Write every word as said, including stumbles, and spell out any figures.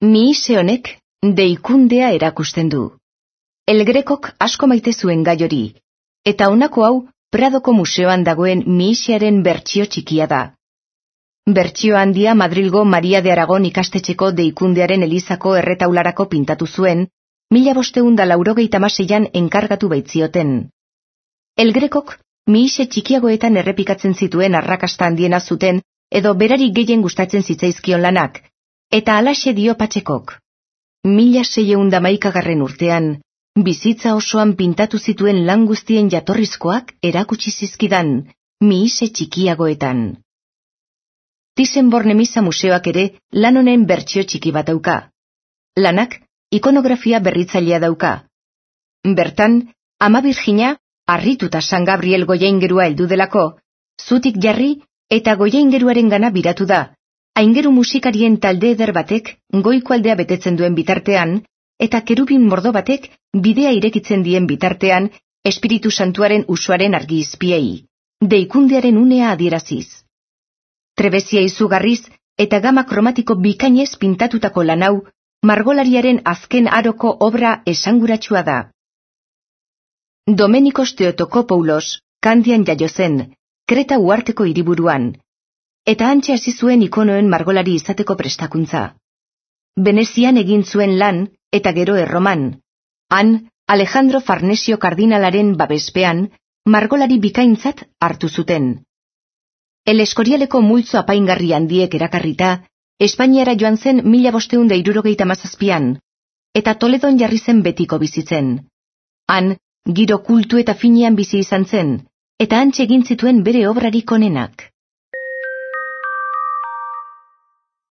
Mihise honek deikundea erakusten du. El Grekok asko maite zuen gai hori, eta honako hau Pradoko museoan dagoen Mihisearen bertsio txikia da. Bertsio handia Madrilgo Maria de Aragon ikastetxeko deikundearen elizako erretaularako pintatu zuen, mila bosteun da laurogeita hamaseian enkargatu baitzioten. El Grekok Mihise txikiagoetan errepikatzen zituen arrakasta handiena zuten edo berari gehien gustatzen zitzaizkion lanak, eta halaxe dio Patxekok. Mila seieun da hamaikagarren urtean, bizitza osoan pintatu zituen lan guztien jatorrizkoak erakutsi zizkidan, Mihise txikiagoetan. Thyssen-Bornemisza museoak ere lan honen bertsio txiki bat dauka. Lanak ikonografia berritzailea dauka. Bertan, Ama Birjina, harrituta San Gabriel goiaingerua heldu delako, zutik jarri eta goiaingeruaren gana biratu da, aingeru musikarien talde eder batek goiko aldea betetzen duen bitartean, eta kerubin mordo batek bidea irekitzen dien bitartean Espiritu Santuaren usuaren argi izpiei, deikundearen unea adieraziz. Trebezia izugarriz eta gama kromatiko bikainez pintatutako lan hau, margolariaren azken aroko obra esanguratsua da. Domenikos Theotokopoulos, Kandian jaio zen, Kreta uharteko hiriburuan, eta hantxe hasi zuen ikonoen margolari izateko prestakuntza. Venezian egin zuen lan, eta gero Erroman. Han, Alejandro Farnesio kardinalaren babespean, margolari bikaintzat hartu zuten. El Eskorialeko multzo apaingarri handiek erakarrita, Espainiara joan zen mila bosteun da hirurogeita hamazazpian, eta Toledon jarri zen betiko bizitzen. Han, giro kultu eta finean bizi izan zen, eta hantxe egin zituen bere obrarik onenak.